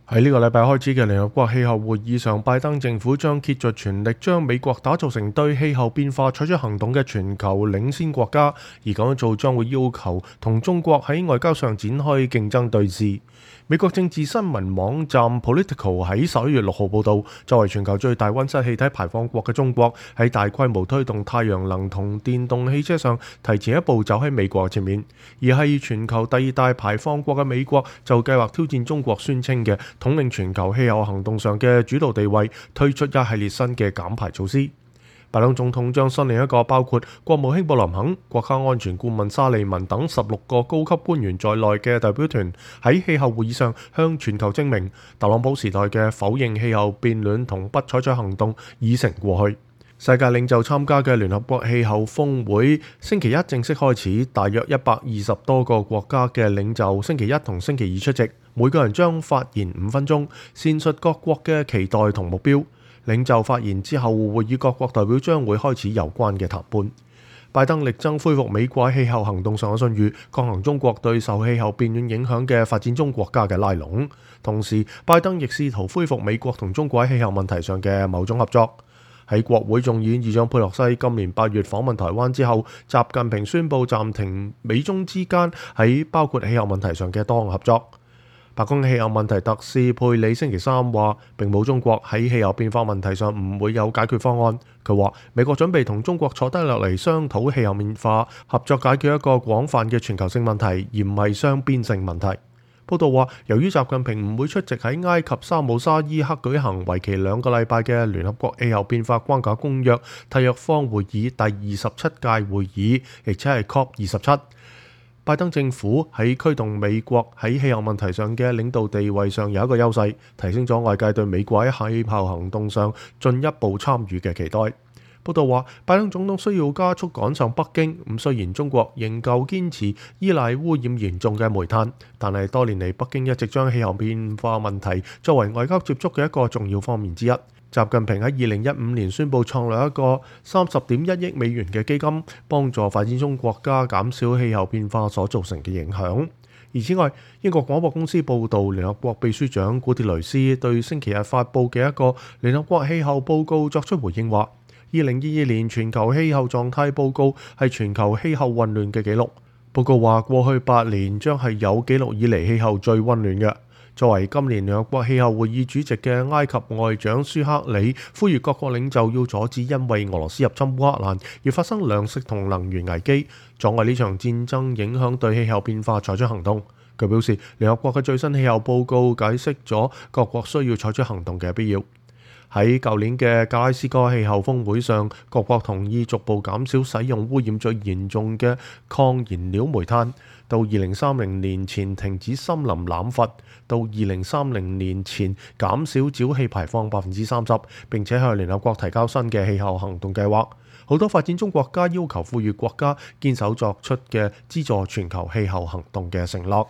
喺呢個禮拜開始嘅聯合國氣候會議上，拜登政府將竭盡全力將美國打造成對氣候變化採取行動嘅全球領先國家，而咁樣做將會要求同中國喺外交上展開競爭對峙。美國政治新聞網站 Politico 喺11月6號報導，作為全球最大溫室氣體排放國嘅中國，喺大規模推動太陽能同電動汽車上提前一步走喺美國前面，而係全球第二大排放國嘅美國就計劃挑戰中國宣稱嘅統領全球氣候行動上嘅主導地位，推出一系列新嘅減排措施。拜登總統將率領一個包括國務卿布林肯、國家安全顧問沙利文等16個高級官員在內嘅代表團喺氣候會議上向全球證明，特朗普時代嘅否認氣候變暖同不採取行動已成過去。世界領袖參加嘅聯合國氣候峰會星期一正式開始，大約120多個國家嘅領袖星期一同星期二出席，每個人將發言5分鐘，闡述各國嘅期待同目標。領袖發言之後，會議各國代表將會開始有關嘅談判。拜登力爭恢復美國喺氣候行動上嘅信譽，抗衡中國對受氣候變暖影響嘅發展中國家嘅拉攏。同時，拜登亦試圖恢復美國同中國喺氣候問題上嘅某種合作。喺國會眾議院議長佩洛西今年8月訪問台灣之後，習近平宣布暫停美中之間喺包括氣候問題上嘅多項合作。白宮氣候問題特使佩里星期三話，並冇中國喺氣候變化問題上唔會有解決方案。佢話美國準備同中國坐低落嚟商討氣候變化合作，解決一個廣泛嘅全球性問題，而唔係雙邊性問題。報道話，由於習近平唔會出席喺埃及沙姆沙伊克舉行為期2個禮拜嘅聯合國氣候變化框架公約締約方會議第27屆會議，亦即係 COP27。拜登政府喺驅動美國喺氣候問題上嘅領導地位上有一個優勢，提升咗外界對美國喺氣候行動上進一步參與嘅期待。報道話，拜登總統需要加速趕上北京。雖然中國仍舊堅持依賴污染嚴重嘅煤炭，但係多年嚟北京一直將氣候變化問題作為外交接觸嘅一個重要方面之一。習近平喺2015年宣布創立一個30.1億美元嘅基金，幫助發展中國家減少氣候變化所造成嘅影響。而此外，英國廣播公司報導，聯合國秘書長古鐵雷斯對星期日發布嘅一個聯合國氣候報告作出回應，話2022年全球氣候狀態報告係全球氣候混亂嘅紀錄。報告話，過去8年將係有紀錄以嚟氣候最溫暖嘅。作為今年聯合國氣候會議主席嘅埃及外長舒克里呼籲各國領袖要阻止因為俄羅斯入侵烏克蘭而發生糧食同能源危機，阻礙呢場戰爭影響對氣候變化採取行動。佢表示，聯合國嘅最新氣候報告解釋咗各國需要採取行動嘅必要。喺舊年嘅格拉斯哥氣候峰會上，各國同意逐步減少使用污染最嚴重嘅抗燃料煤炭，到2030年前停止森林濫伐，到2030年前減少沼氣排放30%，並且向聯合國提交新嘅氣候行動計劃。好多發展中國家要求富裕國家堅守作出嘅資助全球氣候行動嘅承諾。